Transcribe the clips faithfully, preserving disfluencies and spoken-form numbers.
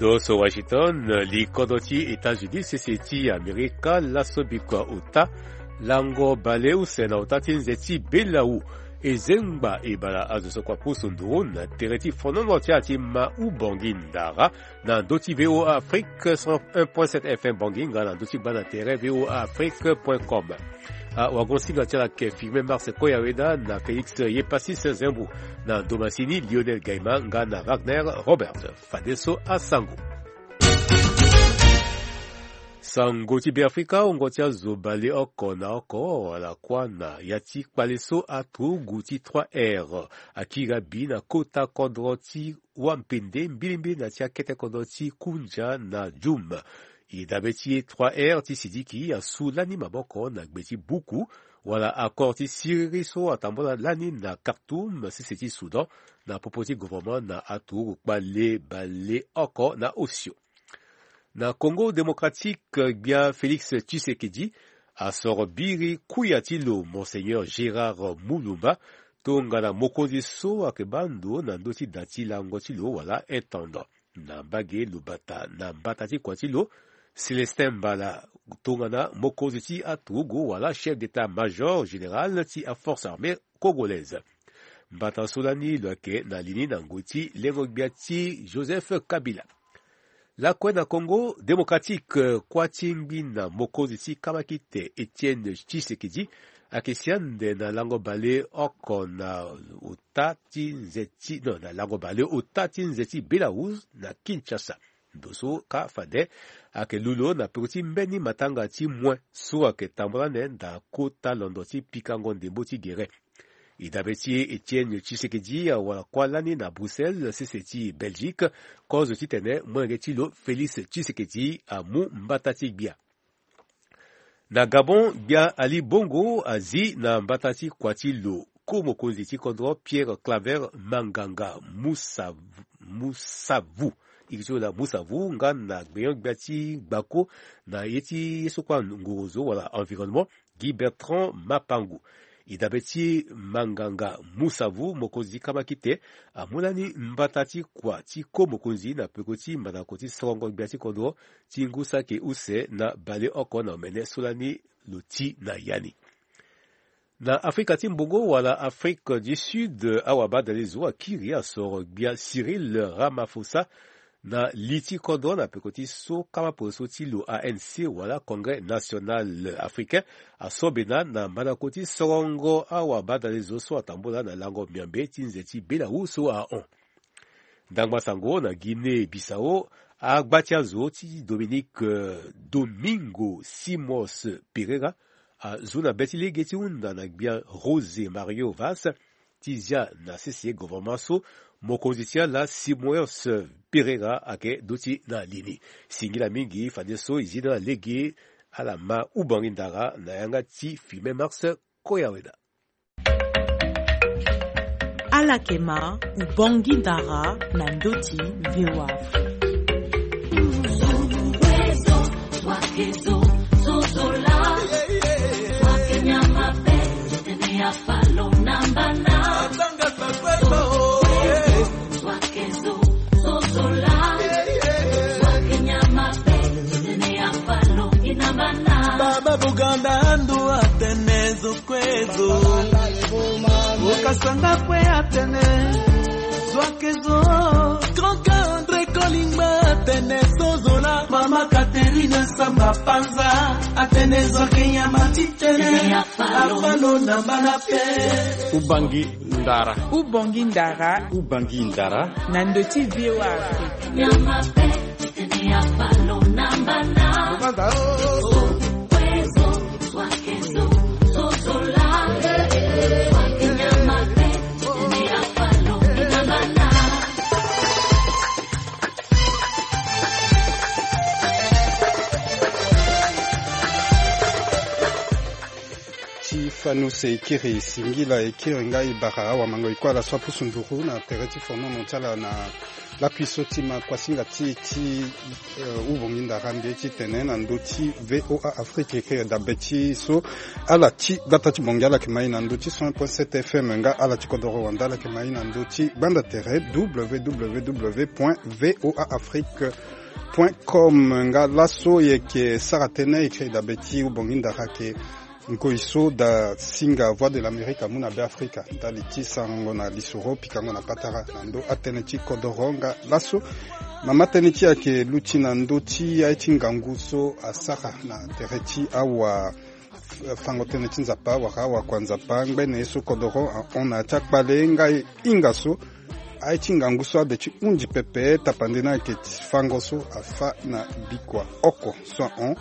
Ndo so Washington, likodro ti États-Unis sese ti Amerika laso bikua ota lango baleuse na ota ti nze ti belawu. E zengba e bala azo so kua pusu nduru na tere ti fonono ti ala ti ma u Bangui Ndara na ndö ti VOA Afrique cent un point sept F M Bangui nga na ndö ti baa na tere VOA Afrique point com. Awagonsinga ti ala ayeke Firmin Mars Koyaweda na Félix Yepassis Zembu na ndo masini Lionel Gaima nga na Wagner Robert. Fadeso asango. Sango ti Beafrika, wungo ti azo baleoko na oko wala kuâ na ya ti kpale so aturugu ti trois R akiri abi na kota kodro ti Wampende mbilimbili na ti akete kodro ti Kunja na Djoum. E dabe ti trois R ti Sidiki asu lani maboko na gbe ti buku wala accord ti siriri so atambula lani na Khartoum, sese ti Soudan, na popo ti gouvernement na aturugu kpale baleoko na osio. Na Congo Démocratique, gbia Félix Tshisekedi asoro biri kuya ti lo Monseigneur Gérard Mulumba tongana mokonzi so ayeke baa ndo na ndö ti da ti lango ti lo wala intendant. Na mbage lo bata na mbata ti kua ti lo, Célestin Mbala tongana mokonzi ti aturugu wala chef d'état-major général ti aforce armée congolaise. Mbata so lani lo yeke na li ni na ngoi ti lengo-gbia ti Joseph Kabila. Lakue na Congo Démocratique, kuâ ti ngbina mokonzi ti kamakite Étienne Tshisekedi ayeke si ande na lango baleoko na ota ti nze ti, non, na lango baleota ti nze ti Belarus na Kinshasa. Ndo so kâ fade ayeke lulo na peko ti mbeni matanga ti moin so ayeke tambula ande na kota londo ti pikango ndembo ti gere. E dabe ti e, Étienne Tshisekedi awara kuâ lani na Bruxelles, sese ti Belgique, kozo titene molenge ti lo Félix Tshisekedi amu mbata ti gbia. Na Gabon, gbia Ali Bongo azi na mbata ti kua ti lo ko mokonzi ti kodro Pierre Claver Manganga Musavu, Musavu. E ke ti lo na Musavu nga na gbenyo-gbia ti gbako na ye ti ye so kue angorozo wala environnement, Guy Bertrand Mapangu. E dabe ti Manganga Musavu, mokonzi ti kamakite amu lani mbata ti kua ti ko mokonzi na peko ti mandako ti sorongo gbia ti kodro ti ngu saki use na baleoko na omene so lani lo ti na ya ni. Na Afrika ti Mbongo wala Afrique du Sud, awabadalezo akiri asoro gbia Cyril Ramaphosa na li ti kodro na peko ti so kama poroso ti lo A N C wala Congrès National Africain aso bena na mandako ti sorongo awabadalezo so atambula na lango miambe ti nze ti Belarus so ahon. Ndangba sango na Guinée Bissau, agba ti azo ti Dominique, euh, Domingo Simões Pereira azu na be ti lege ti hunda na gbia José Mario Vaz ti zia na sese gouvernement so mokonzi ti ala Simões Pereira ayeke duti na li ni. Singila mingi fadeso e zi na lege ala ma Ubangi Ndara na yanga ti Firmin Mars Koyaweda. Ala yeke ma Ubangi Ndara na ndö ti VOA Afrique. Baba Buganda Andu atene zo kue zo. Okasanga kue atene zo ake zo. Grand André Kolingba atene zo zola. Mama Catherine Samba Panza atene zo ake nyama titene. Afalo na mbana pe. Ubangi Ndara. Ubangi Ndara. Ubangi Ndara. Na ndö ti VOA Afrique. Anu se e kiri singila, e kiri nga e bara awamango e kue ala so apusu nduru na tere ti fonono ti ala na lakui so ti ma kuasinga ti e ti, eh, Uvongi Ndara mbi ye ti tene na ndö ti VOA Afrique, e kiri dabe ti so ala ti gbata ti Bangui ala yeke ma e na ndö ti cent point sept F M, nga ala ti kodoro wanda ala yeke ma e na ndö ti gbanda tere W W W point V O A Afrique point com. Nga laso e yeke sara tënë e kiri dabe ti Uvongi Ndara ayeke ngoi so da singa Voix de l'Amérique amu na Beafrika ndali ti sarango na lisoro pikango na patara na ndö atënë ti kodoro. Nga laso mama tënë ti e ayeke luti na ndö ti aye ti ngangu so asara na tere ti awa, eh, fango tënë ti Nzapa wala awakua Nzapa ngbene ye so kodoro ahon na ya ti akpale nga e hinga so aye ti ngangu so ade ti hunzi pepe tapande ni ayeke ti fango so afâ na bikua oko so ahon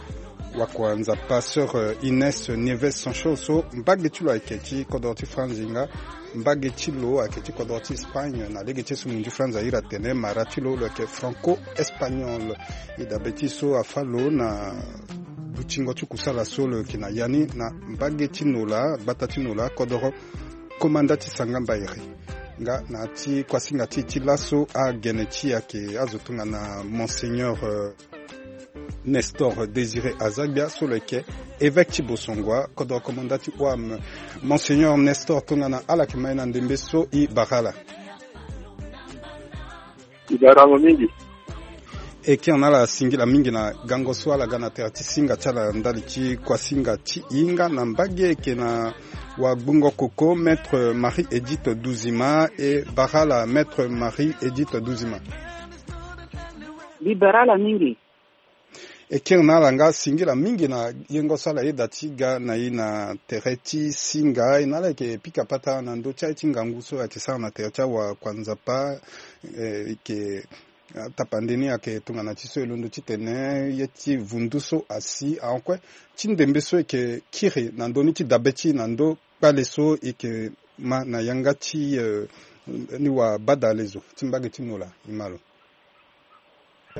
wakua Nzapa sœur, euh, Ines Nieves Sancho so mbage ti lo ayeke ti kodoro ti Franzi nga mbage ti lo ayeke ti kodoro ti Espagne. Na lege ti ye so munzu Franzi ahiri atene mara ti lo lo yeke franco-espagnol. E dabe ti e so afâ lo na dutingo ti kusala so lo yeke na ya ni na mbage ti Nola, gbata ti Nola, kodoro komanda ti Sangamba Ere. Nga na ya ti kuasinga ti e ti laso agene ti e ayeke azo tongana Monseigneur, euh, Nestor Désiré Azagbia so lo yeke évêque ti Bosongoa, kodoro komanda ti O A M. Monseigneur Nestor, tongana ala yeke ma e na ndembe so, e bara ala. E bara mo mingi. E kiri na ala singila mingi na gango so ala ga na tere ti singa ti ala ndali ti kuasinga ti e. Nga na mbage e yeke na wagbungo koko Maître Marie Edith Duzima, e bara ala Maître Marie Edith Duzima. Mbi bara ala mingi. E kiri na ala nga singila mingi na yengo so ala yeda ti ga na e na tere ti singa. E na ala yeke pika patara na ndö ti aye ti ngangu so ayeke sara na tere ti awakua Nzapa, eh, e yeke, ah, tapande ni ayeke tongana ti so e londo titene ye ti vundu so asi ahon kue ti ndembe so e yeke kiri na ndö ni ti dabe ti e na ndö kpale so e yeke ma na yanga ti, eh, ni wabadalezo ti mbage ti Nola. E ma lo.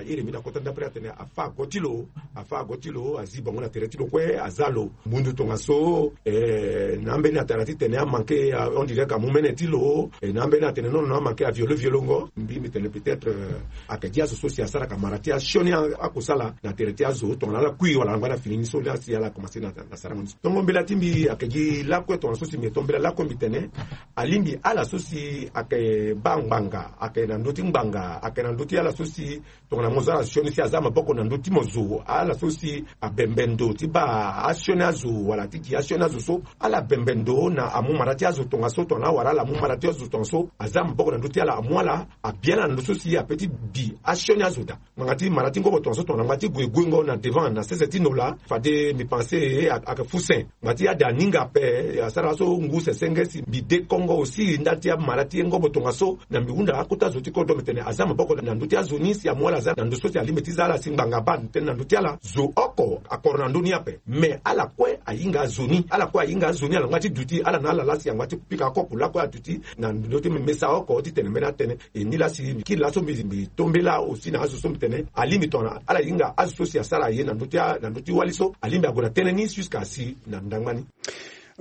Iri mbi na kota ndapre atene afâ ago ti lo, afâ ago ti lo, azi bango na tere ti lo kue, aza lo. Mundu tongaso, eh, na ambeni atara titene amanke, ah, on dirait ka mu mene ti lo, eh, na ambeni atene non non amanke aviole violongo. Mbi mbi tene peut-être, eh, ayeke gi azo so si asara ka mara ti asioni a, akusala na tere ti azo tongana ala kui wala angba na fini ni so la si ala commencé na, na sarango ni. Tongo mbela ti mbi ayeke gi lakue tongana so si mbi to mbela lakue mbi tene, alingbi ala so si ayeke baa ngbanga, ayeke na ndö ti ngbanga, ayeke na ndö ti ala so si tongana mo zo ala sioni si aza maboko na ndö ti mo zo, ala so si abembe ndo ti baa asioni azo wala ti gi asioni azo so, ala bembe ndo na amu mara ti azo tongaso, tongana awara ala amu mara ti azo tongaso, aza maboko na ndö ti ala amu ala, abia ala na ndö so si ape ti bi asioni azo daa. Ngbanga ti mara ti ngobo tongaso tongana ngbanga ti gue guengo na devant na sese ti Nola, fade mbi pense, eh, a, ayeke fusen. Ngbanga ti ade aninga ape, eh, asara so ngu sesenge si mbi dekongo aussi ndali ti amara ti ngobo tongaso, na mbi hunda akota zo ti kodro mbi tene aza maboko na ndö ti azo ni si amu ala aza na ndö so si alingbi ti za ala si ngbanga abaa tënë na ndö ti ala. Zo oko akoro na ndö ni ape. Mais ala kue ahinga azo ni, ala kue ahinga azo ni, ala ngba ti duti, ala na ala laa si angba ti pika kopo lakue aduti na ndö ti mesa oko titene mbeni atënë. E ni laa si mbi kiri laso mbi, mbi to mbela aussi na azo so mbi tene alingbi tongana ala hinga azo so si asara aye na ndö ti a, na ndö ti wali so alingbi ague na tënë ni jusqu'à si na ndangba ni.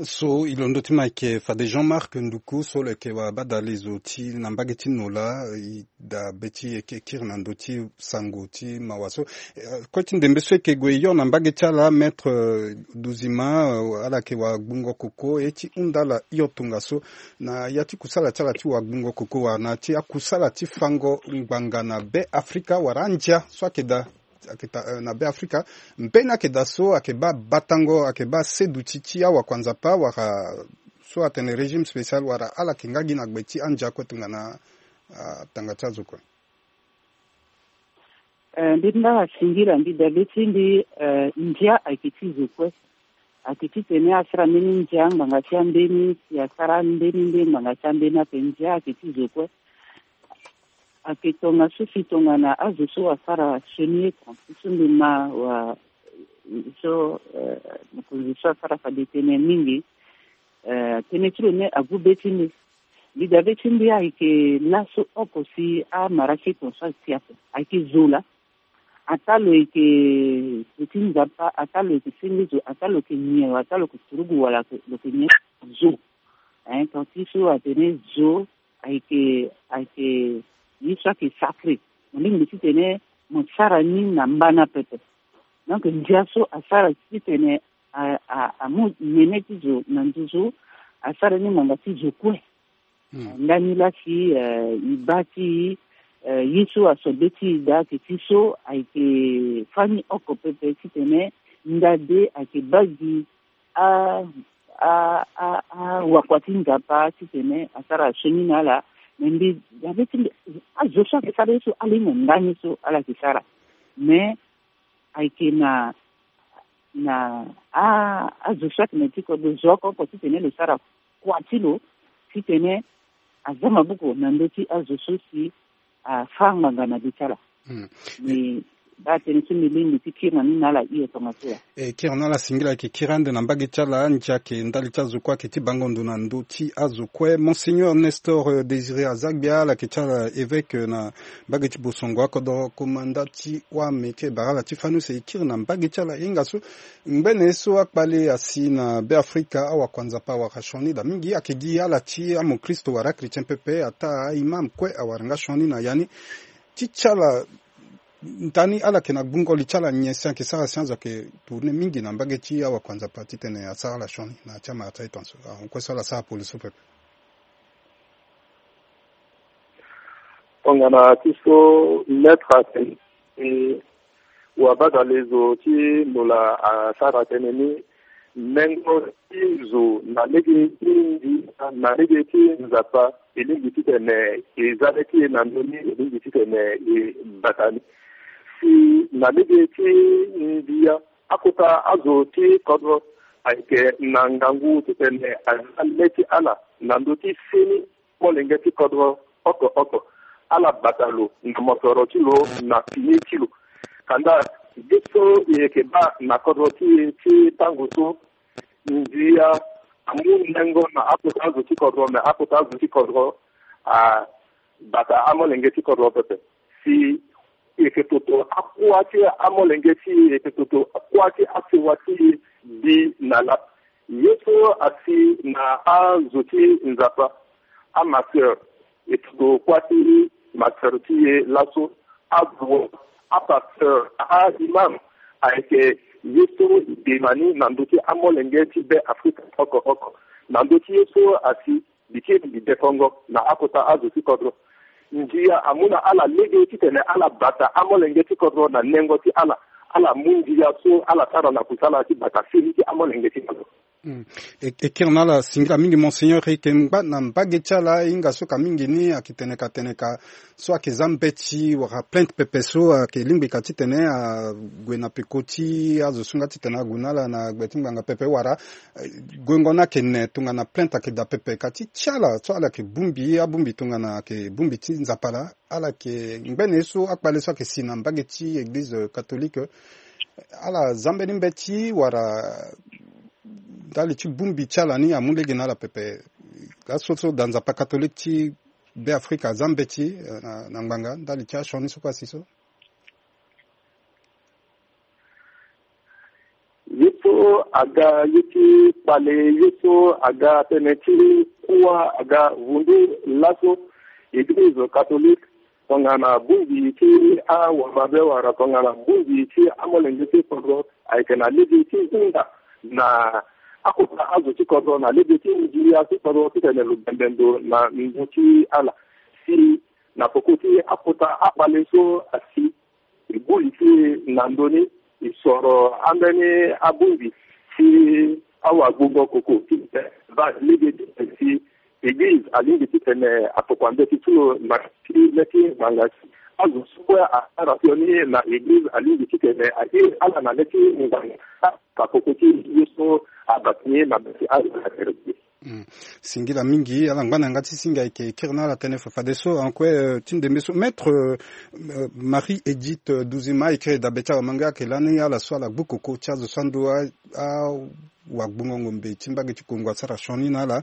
So e londo ti ma ayeke fade Jean-Marc Nduku so lo yeke wabadalezo ti na mbage ti Nola, e dabe ti e yeke kiri na ndö ti sango ti mawa so. Eh, kue ti ndembe so e yeke gue hio na mbage ti ala, Maître, eh, Duzima, eh, ala yeke wagbungo koko, e ti hunda ala hio tongaso na ya ti kusala ti ala ti wagbungo koko wala na ya ti akusala ti fango ngbanga na Be Afrika wala andia so ayeke daa, ayeke daa, eh, na Be Afrika. Mbeni ayeke daa so ayeke baa batango, ayeke baa seduti ti awakua Nzapa wala so atene régime spécial wala ala yeke nga gi na gbe ti andia kue tongana atanga ti azo kue. Eh, mbi mba asingila mbi dabe ti mbi, eh, ndia ayeke ti zo kue. Ayeke titene asara mbeni ndia ngbanga ti ambeni si asara mbeni nde ngbanga ti ambeni ape, ndia ayeke ti zo kue. Ayeke tongaso si tongana azo so asara sioni eko ti so mbi ma wa so, eh, mokonzi so asara fade tënë mingi. Eh, tënë ti lo ni agu be ti mbi. Mbi dabe ti mbi ayeke laso oko si amara ti eko so asi ape ayeke zo laa. Ataa lo yeke, lo ti Nzapa, ataa lo yeke senge zo, ataa lo yeke nyen, ataa lo yeke turugu wala lo yeke nyen, zo. Hein, ton ti so atene zo ayeke, ayeke ye so ayeke sacré. Mo lingbi titene mo sara ni na mbana pepe. Donc ndia so asara titene a, a, amu nene ti zo na nduzu, asara ni ngbanga ti zo kue. Ndani la si, eh, e baa ti, eh, ye so aso be ti e daa ayeke ti so ayeke fani oko pepe titene nda de ayeke baa gi a, a, a, awakua ti Nzapa titene asara sioni na ala. Me mbi, azo so ayeke sara ye so ala ye na ndani so ala yeke sara. Mais ayeke na, na a, azo so ayeke na ti kodro zo oko oko titene lo sara kua ti lo titene aza maboko na ndö ti azo so si afâ ngbanga na be ti ala. Mbi baa tënë so mbi lingbi ti kiri na ni na ala hio tongaso ya. E kiri na ala singila ayeke kiri ande na mbage ti ala, ndia ayeke ndali ti azo kue ayeke ti bango ndo na ndö ti azo kue. Monseigneur Nestor, euh, Désiré Azagbia, ala yeke ti ala évêque, euh, na mbage ti Bosongo akodoro, komanda ti wame ti e bara ala ti fani use e kiri na mbage ti ala. Hinga so ngbene so akpale asi na Beafrika, awakua Nzapa awara sioni daa mingi, ayeke gi ala ti amokristo wala achrétien pepe, ataa aimam kue awara nga sioni na ya ni. Ti ti ala, ndani ala yeke na gbungo li ti ala nyen si ayeke sara si azo ayeke tourner mingi na mbage ti awakua Nzapa titene asara ala sioni na ya ti amara ti aye tongaso? Ahon kue so ala sara poli so pepe. Tongana ti so maître atene, e, wabadale zo ti Lola asara tënë ni, mengo ti zo na lege ti ndia, na lege ti Nzapa, e lingbi titene e za le ti e na ndö ni, e lingbi titene e bata ni. Si na lege ti ndia, akota azo ti kodro ayeke na ngangu titene aza le ti ala na ndö ti fini molenge ti kodro oko oko. Ala bata lo na mosoro ti lo na fini ti lo. Kanda ye so e yeke baa na kodro ti e ti tango so, ndia amu nengo na akota azo ti kodro, me akota azo ti kodro abata amolenge ti kodro pepe. Si e yeke toto akua ti amolenge ti e, e yeke toto akua ti asewa ti e bi na laa. Ye so asi na azo ti Nzapa, amaseur e toto kua ti maseur ti e laso, azo, apasteur, aimam, ayeke ye so e dema ni na ndö ti amolenge ti Beafrika oko oko. Na ndö ti ye so asi, mbi kiri mbi dekongo na akota azo ti kodro. Ndia amu na ala lege titene ala bata amolenge ti kodro na nengo ti ala. Ala mu ndia so ala sara na kusala ti bata fini ti amolenge ti kodro. Hmm. E, e kiri na ala singila mingi, Monseigneur. E yeke ngba na mbage ti ala, e hinga so ka mingi ni ayeke tene ka, tene ka so ayeke za mbeti wala plainte pepe so ayeke lingbi ka titene ague na peko ti azo so nga titene ague na ala na gbe ti ngbanga pepe wala, eh, guengo ni ayeke ne tongana plainte ayeke daa pepe. Ka ti ti ala so ala yeke bongbi, abongbi tongana ayeke bongbi ti Nzapa laa, ala yeke ngbene so akpale so ayeke si na mbage ti église catholique, ala za mbeni mbeti wala ndali ti bongbi ti ala ni amu lege na ala pepe? Laso so daa Nzapa catholique ti Beafrika aza mbeti, eh, na, na ngbanga ndali ti asioni so kue asi so? Ye so aga ye ti kpale, ye so aga tënë ti kuâ aga vundu laso, église catholique, tongana bongbi ti awamabe wala tongana bongbi ti amolenge ti kodro ayeke na lege ti hunda na akota azo ti kodro na lege ti ndia ti kodro titene lo bembe ndo na ndö ti ala. Si na peko ti akota akpale so asi, e gbu li ti e na ndö ni, e soro ambeni abongbi ti awagbongo koko ti baa lege ti tene si église alingbi titene atokua mbeti ti lo na ti le ti ngbanga ti azo so kue asara sioni na église alingbi titene airi ala na le ti ngbanga. Ka peko ti ye so abata ni na be ti ala na tere ti e. Hmm. Singila mingi, ala ngba na yanga ti singa. E yeke kiri na ala tënë fa fadeso. Anko, eh, ti ndembe so, Maître, eh, Marie Edith, eh, Duzima, e kiri dabe ti awamanga ayeke lani ala so ala gbu koko ti azo so ando a, awagbongo ngombe ti mbage ti Kongo asara sioni na ala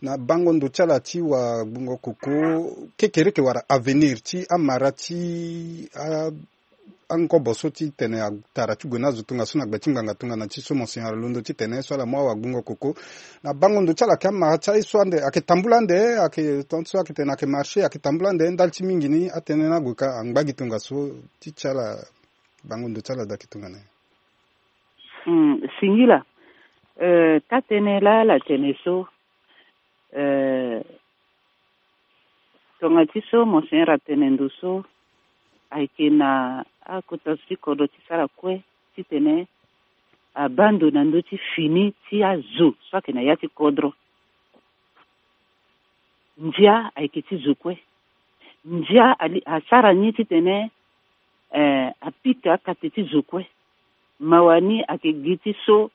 na bango ndo ti ala ti wagbongo koko kekereke wala avenir ti amara ti a angobo so ti tene atara ti gue na azo tongaso na gbe ti ngbanga tongana ti so monseigneur alondo ti tene so ala mu awagbongo koko na bango ndo ti ala ayeke amara ti aye so ande ayeke tambula ande ayeke tongaso ayeke tene ayeke marché ayeke tambula ande ndali ti mingi ni atënë ni ague ka angba gi tongaso ti ti ala bango ndo ti ala daa ayeke tongana nyen? Singila. Taa-tënë laa ala tene so, tonga ti so monseigneur atene ndo so ayeke na akota zo ti kodro ti sara kue titene abaa ndo na ndö ti fini ti azo so ayeke na ya ti kodro. Ndia ayeke ti zo kue. Ndia asara ni titene apika kate ti zo kue. Mawa ni ayeke gi ti so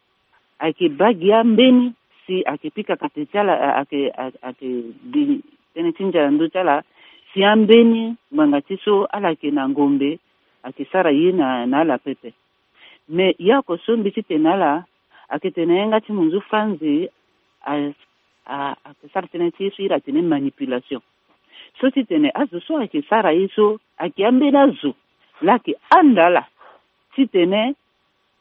ayeke baa gi ambeni si ayeke pika kate ti ala ayeke gi tënë ti ndia na ndö ti ala si ambeni ngbanga ti so ala yeke na ngombe ayeke sara ye na ala pepe. Me ya oko so mbi ti tene na ala ayeke tene na yanga ti munzu franzi ayeke sara tënë ti ye so iri atene manipulation. So titene azo so ayeke sara ye so ayeke ambeni azo laa ayeke handa ala titene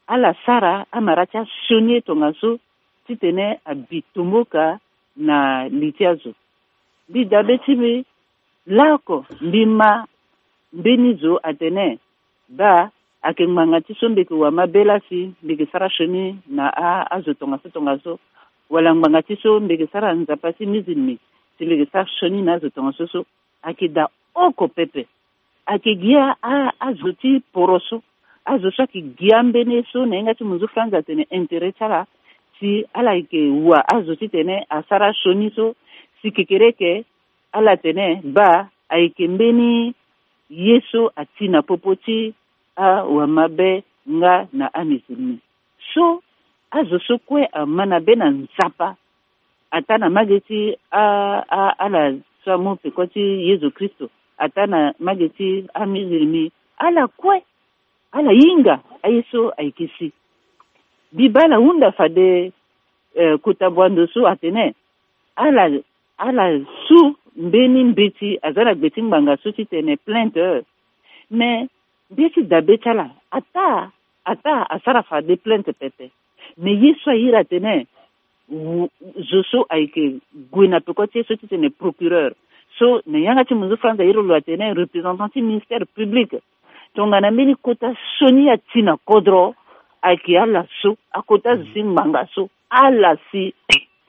ala sara amara ti asioni ye tongaso titene abi tomboka na li ti azo. Mbi dabe ti mbi laoko mbi ma mbeni zo atene baa ayeke ngbanga ti so mbi yeke wamabe laa si mbi yeke sara sioni na azo tongaso tongaso, wala ngbanga ti so mbi yeke sara nzapa ti mizilmi si mbi yeke sara sioni na azo tongaso so. Ayeke daa oko pepe. Ayeke gi azo ti poro so azo so ayeke gi ambeni ye so na yanga ti munzu franzi atene intérêt ti ala si ala yeke wa azo titene asara sioni so si kekereke ala tene baa ayeke mbeni ye so ati na popo ti awamabe nga na amizilmi. So azo so kue ama na be na nzapa ataa na mage ti ala so amu peko ti yezu kristo ataa na mage ti amizilmi ala kue ala hinga aye so ayeke si. Mbi baa ala hunda fade kota bua ndo so atene ala ala su mbeni mbeti aza na gbe ti ngbanga so titene plainte. Me mbi ye ti dabe ti ala ataa ataa asara fade plainte pepe. Me ye so airi atene zo so ayeke gue na peko ti ye so titene procureur so na yanga ti munzu franzi airi lo atene représentant ti ministère public. Tongana mbeni kota sioni ati na kodro ayeke ala so akota zo ti ngbanga so ala si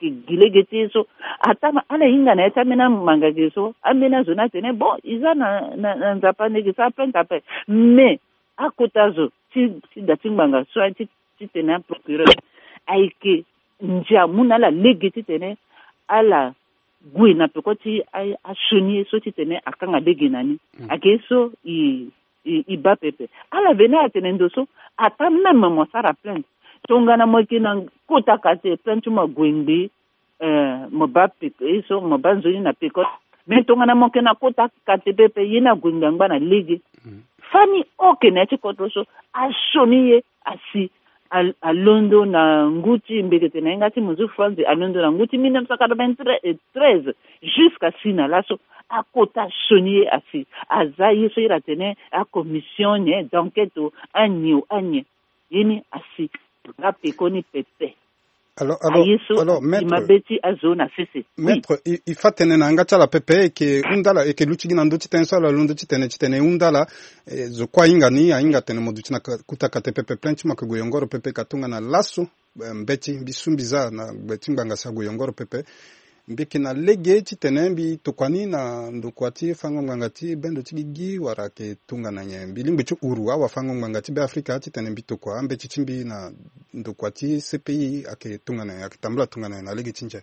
gi lege ti ye so. Ataa ma ala hinga na ya ti ambeni amanga ge so ambeni azo ni atene bon e za na na nzapa nde ge so aplainte ape. Mais akota zo ti ti da ti ngbanga so aye ti titene aprocureur ayeke ndia mu na ala lege titene ala gue na peko ti asioni ye so titene akanga lege na ni. Ayeke ye so e e baa pepe. Ala veni atene ndo so ataa même mo sara plainte tongana mo yeke na kota kate plainte ti mo ague ngbii. Mo baa peko ye so mo baa nzoni na peko. Mais tongana mo yeke na kota kate pepe ye ni ague ngbii angba na lege. Fani oke na ya ti kodro so asioni ye asi alondo na ngu ti mbekete na yanga ti munzu franzi alondo na ngu ti mille neuf cent quatre-vingt-treize jusqu'à si na laso akota sioni ye asi aza ye so iri atene acommission d'enquête o anie o anie. Ye ni asi nga peko ni pepe. Alors, alors, aye so alors, maître, mabe ti azo na sese. Maître, il, il faut tene na yanga ti ala pepe eke hunda ala eke luti gi na ndö ti tene so ala londo ti tene ti tene e hunda ala. Eh, zo kue ahinga ni ahinga tene mo duti na kuta kate pepe plainte ti mo ake gue yongoro pepe ka tongana laso. Eh, mbeti mbi su mbi za na gbe ti ngbanga si ague yongoro pepe. Mbi yeke na lege titene mbi tokua ni na ndokua ti fango ngbanga ti bendo ti gigi wala ayeke tongana nyen mbi lingbi ti uru awafango ngbanga ti be afrika titene mbi tokua ambeti ti mbi na ndokua ti cpi ayeke tongana nyen ayeke tambula tongana nyen na lege ti ndia?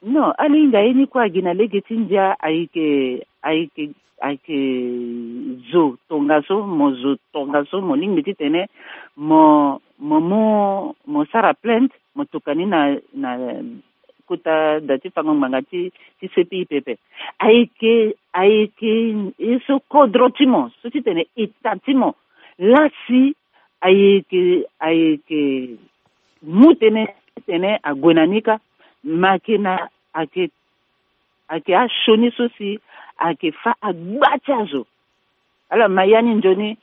Non, alinga ye ni kue agi na lege ti ndia ayeke ayeke ayeke zo tongaso mo zo tongaso mo lingbi titene mo mo mu mo sara plainte mo tokua ni na na kota da ti fango ngbanga ti ti cpi pepe. Ayeke ayeke ye so kodro ti mo so titene eta ti mo lasi ayeke ayeke mu tënë titene ague na ni kâ. Ma ayeke na ayeke ayeke asioni so si ayeke fâ agba ti azo. Ala ma ya ni nzoni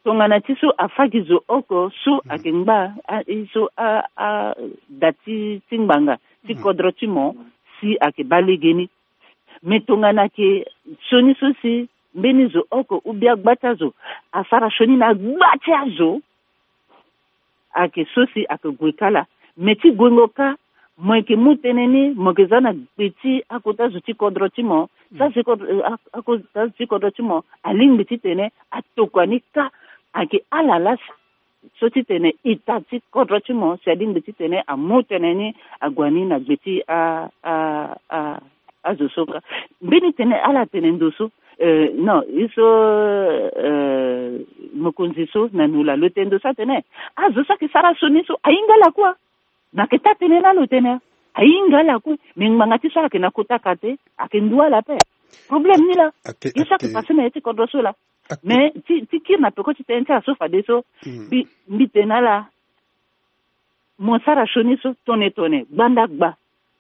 tongana ti so afa gi zo oko so ayeke ngba a- e so a- ada ti ti ngbanga ti kodro ti mo si ayeke baa legeni. Me tongana ayeke sioni so si mbeni zo oko ou bien agba ti azo asara sioni na gba ti azo, ayeke so si ayeke gue kâ laa. Me ti guengo kâ, mo yeke mu tënë ni mo yeke za na gbe ti akota zo ti kodro ti mo. Sa si kodro- eh, ak- akota zo ti kodro ti mo alingbi titene atokua ni kâ. Ayeke ala laa so titene ita ti kodro ti mo si alingbi titene amu tënë ni ague ni na gbe ti a- a- a- azo so kâ. Mbeni tene ala tene ndo so, eh, non, ye so, eh, mokonzi so na nola lo tene ndo so atene azo so ayeke sara sioni so ahinga lakue. Na yeke taa tënë laa lo tene ahinga lakue. Me ngbanga ti so ala yeke na kota kate ayeke ndu ala ape. Problème ni laa. Ye so ayeke pase na ya ti kodro so laa. Mais ti ti kiri na peko ti tënë ti ala so fadeso, mbi mbi tene ala, mo sara sioni so tone tone gbanda gba,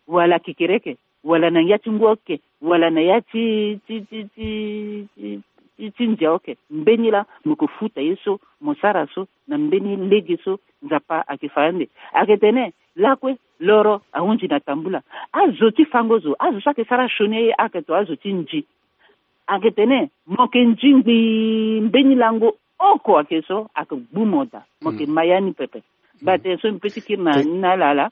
wala kekereke, wala na ya ti ngu oke, wala na ya ti ti ti ti ti ti ndia oke, mbeni laa mo yeke futa ye so mo sara so na mbeni lege so Nzapa ayeke fa ande. Ayeke tene lakue loro ahunzi na tambula. Azo ti fango zo, azo so ayeke sara sioni ayeke to azo ti nzi. Ayeke tene mo yeke nzi ngbii mbeni lango oko ayeke so ayeke gbu mo daa. Mo yeke ma ya ni pepe. Bate so mpe ti kiri na ni na ala ala.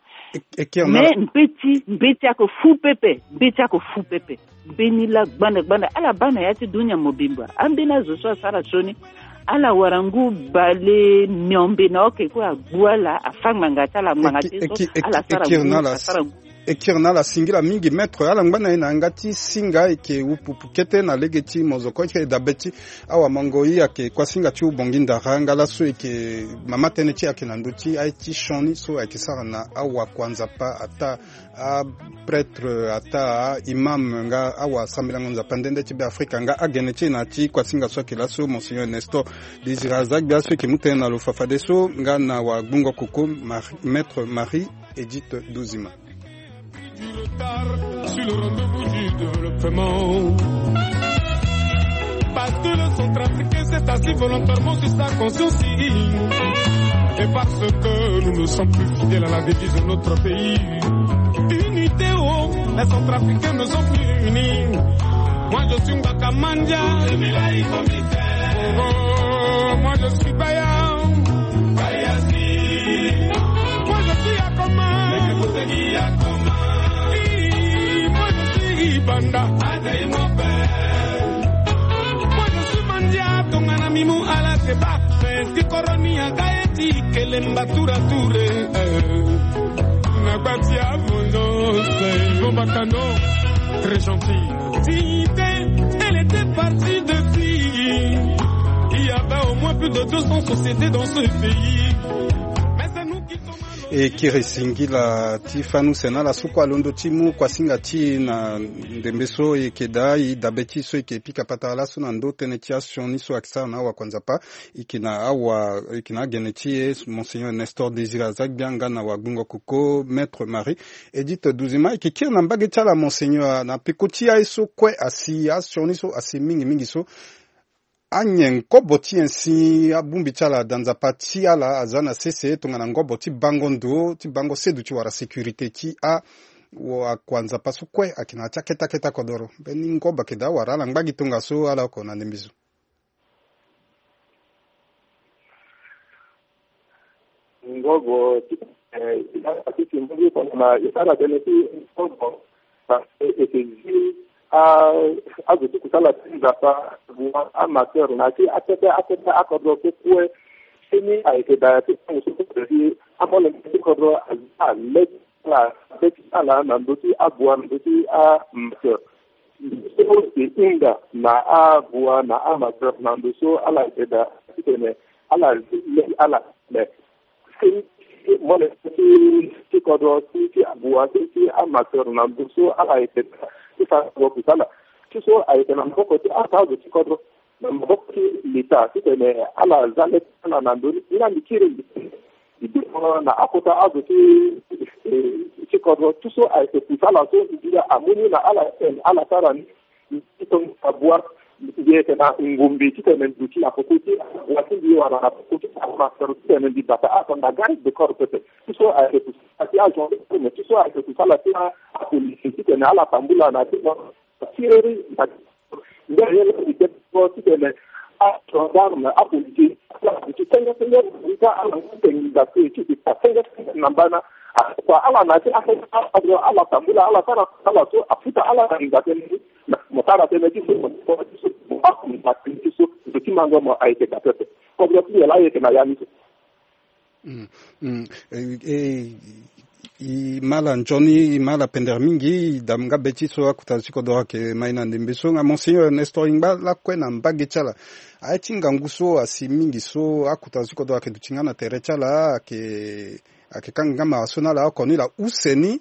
Mais mbeti mbeti ayeke fu pepe. Mbeti ayeke fu pepe. Mbeni laa gbanda gbanda ala baa na ya ti dunia mobimba ambeni azo so asara sioni. Ala wara ngu bale miombe na oke kue agbu ala afa ngbanga ti ala ngbanga ti so ala sara ngu asara ngu. E kiri na ala singila mingi maître, ala ngba na e na yanga ti singa e yeke upupu kete na lege ti mozoko e yeke dabe ti awamango ye ayeke kuasinga ti ubongi ndara nga laso e yeke mama tënë ti e ayeke na ndö ti aye ti sioni so ayeke sara na awakuanzapa ataa aprêtre ataa aimam nga awasambelango nzapa nde nde ti Beafrika nga agene ti e na ya ti kuasinga so ayeke laso Monseigneur Nestor Désiré Azagbe so e yeke mu tënë na lo fafadeso nga na wagbungo koko Marie- maître Marie Edith Dozima. Du retard sur le rendez-vous du développement. Parce que le centrafricain s'est assis volontairement sur sa conscience. Et parce que nous ne sommes plus fidèles à la devise de notre pays. Unité, oh, les centrafricains ne sont plus unis. Moi je suis Mbakamandia. Oh, oh, moi je suis Baya. Moi je suis Akoma. Moi je suis Ibanda. Moi je suis Mandia. Tongana mimu ala keba. Ti koroni aga ye ti kelemba tura ture. Na gba ti amono. Très gentil. Dignité, elle était partie de qui? Il y avait au moins plus de deux cents sociétés dans ce pays. Mais c'est nous qui sommes à l'origine. E kiri singila ti fâ ni use na ala so kue alondo ti mu kuasinga ti e na ndembe so e yeke daa e dabe ti e so e yeke pika patara laso na ndö tënë ti asioni so ayeke sara na awakuanzapa. E yeke na awa e yeke na agene ti e Monseigneur Nestor Désiré Azagbe nga na wagbungo koko Maître Marie Edith Dozima. E yeke kiri na mbage ti ala Monseigneur na peko ti aye so kue asi asioni so asi mingi mingi so. Anyen kobo ti nyen si abongbi ti ala da nzapa ti ala aza na sese tongana ngobo ti bango ndo ti bango seduti wala sécurité ti a- akuanzapa so kue ayeke na ya ti akete akete akodoro mbeni ngobo ayeke daa wala ala ngba gi tongaso ala oko na ndembe zo. Ngobo ti e ti ti mbongi tongana e sara tënë ti ngobo. Parce que e yeke zi a- azo ti kusala ti nzapa, amateur na ya ti akete akete akodro so kue. Seni ayeke daa ya ti tango so kue si amolenge ti kodro aza le ti ala le ti ala na ndö ti abua na ndö ti amateur. So e hunda na abua na amateur na ndo so ala yeke daa titene ala zi le ti ala. Mais si mo ne ti ti kodro ti ti abua ti ti amateur na ndo so ala yeke daa ti fa kodro kusala ti so ayeke na maboko ti ata azo ti kodro na maboko ti leta titene ala za le ti ala na ndo ni. Nga mbi kiri mbi Mbi bino na akota azo ti ti kodro ti so ayeke kusala so mbi bino amu ni na ala ti tene ala sara ni. Mbi ti tongana bua Mbi yeke na ngumbi titene mbi duti na peko ti awa ti mbi wala na peko ti amateur titene mbi bata azo na garde de corps pepe. Ti so ayeke kusala ti agendarme, ti so ayeke kusala ti apolisi titene ala tambula na ti tireri na ti nde ye laa mbi tene so titene agendarme, apolisi, ala duti senge senge na mbi ka ala nga tengi nda so e ti e ta senge senge na mbana. Akua ala na ti asenge ala tambula ala sara ala so afuta ala na nda tënë ni. Mo tara tënë ti so mo ti so mo ti so mo ti so mo ti mango mo ayeke da pepe. Kodro ti nyen laa ayeke na ya ni so. Mm, mm. E, e, e, e, e ma ala nzoni, e ma ala pendere mingi, e da nga be ti so akota zo ti kodro ayeke ma e na ndembe so. Nga Monseigneur Nestor, e ngba lakue na mbage ti ala. Aye ti ngangu so asi mingi so akota zo ti kodro ayeke duti nga na tere ti ala, ayeke, ayeke kanga nga mara so na ala oko ni laa use ni.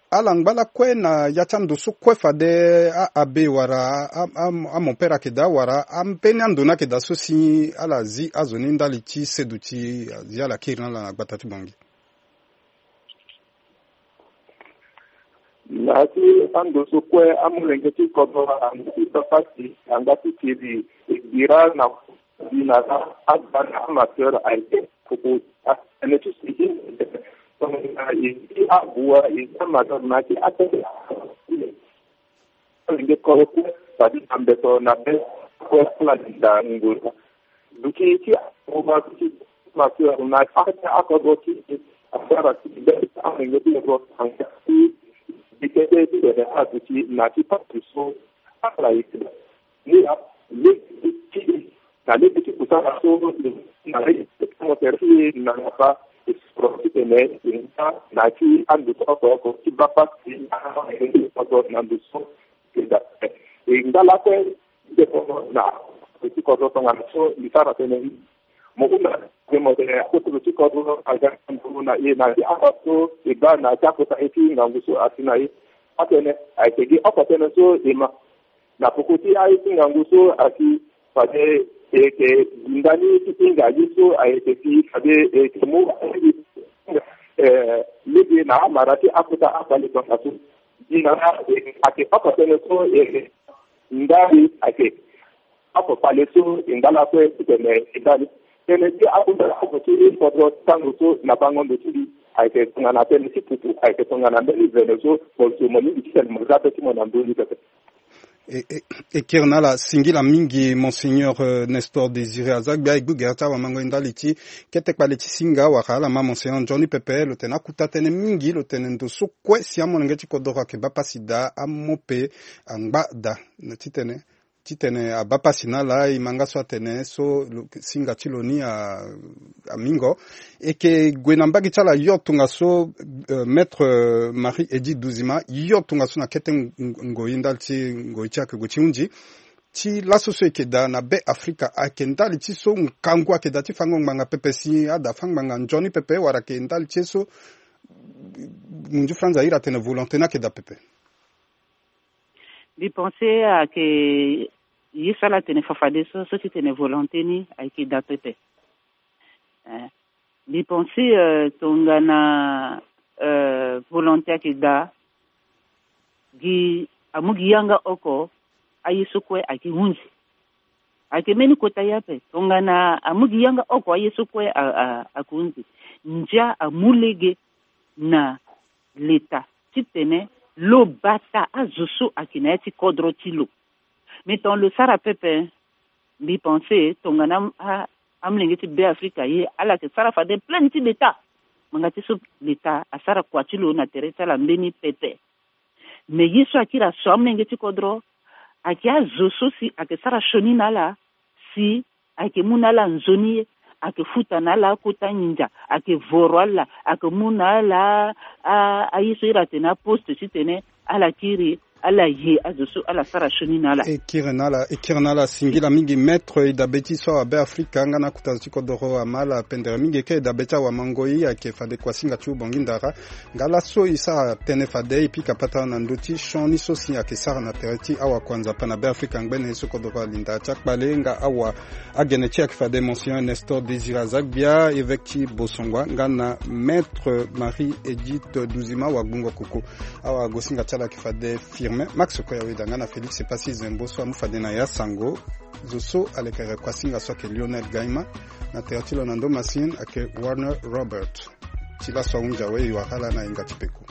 Ala ngba lakue na ya ti ando so kue fade a, abbé wala a, a, amompere ayeke daa wala ambeni ando ni ayeke daa so si ala zi azo ni ndali ti seduti, azi ala kiri na ala na gbata ti Bangui. Na ya ti ando so kue amolenge ti kodro angba ti bapasi, angba ti kiri, e bira na Di na la, agba na amateur ayeke koko atene ti si i na i ti abua i ti amateur na ti atene. Alenge koro kue fade na mbeto na be kue ala linda ngoi. Duti ti akoba ti amateur na ate akobo ti asara ti be alenge ti ro anga ti bikete ti tene aduti na ti pasi so ala yeke. Ni na lege ti na lege ti kusala so na lege ti promoteur ti na ngapa esoro titene e nga na ti ando so oko oko ti baa pasi na ando so e da e nga lakue ti deko na ti kodro tongana so mbi sara tënë ni. Mo hunda tene mo tene akota lo ti kodro aga nduru na e na ti akota so e baa na ti akota e ti ngangu so asi na e. Atene ayeke gi oko tënë so e ma. Na poko ti aye ti ngangu so asi fade e yeke gi ndani ti hinga ye so ayeke si fade e yeke mu eh, lege na amara ti akota akpale tongaso. Gi na la e yeke oko tënë so e yeke ndani ayeke oko kpale so e ngba lakue titene e ndani. Tënë ti akota oko ti kodro ti tango so na bango ndo ti mbi ayeke tongana tënë ti pupu ayeke tongana mbeni vene so mo so mo lingbi titene mo za be ti mo na ndö ni pepe. E, e, e kiri na ala singila mingi, Monseigneur, euh, Nestor Désiré Azagbia, e gbu gere ti awamango e ndali ti kete kpale ti singa wala ala ma Monseigneur nzoni pepe lo tene akuta tënë mingi, lo tene ndo so kue si amolenge ti kodoro ayeke baa pasi daa, amope angba daa, na titene, titene abaa pasi na ala, e ma nga so atene so lo, singa ti lo ni a, amingo. E yeke gue na mbage ti ala yo tongaso, euh, Maître, euh, Marie Edith Duzima, yo tongaso na kete ng-, ng-, ngoi ndali ti ngoi ti ayeke gue ti hunzi. Ti laso so e yeke daa na Be Afrika, ayeke ndali ti so ngangu ayeke daa ti fango ngbanga pepe si ada fâ ngbanga nzoni pepe wala ayeke ndali ti ye so munzu franza iri atene volonté ni ayeke daa pepe. Mbi pense ayeke ye so ala tene fafade so, so ti tene volonté ni ayeke daa pepe. Eh, mbi pense, euh, tongana, euh, volonté ayeke daa, gi amu gi yanga oko aye so kue ayeke hunzi. Ayeke mbeni kota ye ape, tongana amu gi yanga oko aye so kue a, a, ayeke hunzi. Ndia amu lege na leta titene lo bata azo so ayeke na ya ti kodro ti lo. Me tongana lo sara pepe, mbi pense tongana a, a, amolenge ti Be Afrika ye, ala yeke sara fade plein ti leta. Ngbanga ti so leta asara kua ti lo na tere ti ala mbeni pepe. Me ye so akiri aso amolenge ti kodro, ayeke azo so si ayeke sara sioni na ala, si ayeke mu na ala nzoni ye, ayeke futa na ala akota nginza, ayeke voro ala, ayeke mu na ala a, a, aye so iri atene aposte titene ala kiri, ala ye azo so ala sara sioni na ala. E kiri na ala, e kiri na ala singila mingi, Maître. E dabe ti so awa Be Afrika nga na akota zo ti kodoro ama ala pendere mingi. E ke e dabe ti awamango, e ayeke fade kuasinga ti Ubongi Ndara. Nga laso e sara tënë fade e pika patara na ndö ti sioni so si ayeke sara na tere ti awakuanzapa na Be Afrika ngbene so kodoro alinda ti akpale nga awa agene ti e ayeke fade Monseigneur Nestor Désiré Azagbia, évêque ti Bosongua, nga na Maître Marie Edith Duzima, awagbungo koko. Awagosinga ti ala ayeke fade Firmin Max Koya Weda nga na Félix Epasi Zembo so amu fade na ya sango. Zo so alekere kuasinga so ayeke Lionel Gaima. Na tere ti lo na ndo masine ayeke Warner Robert. Ti laso ahunzi awe, e wara ala na hinga ti peko.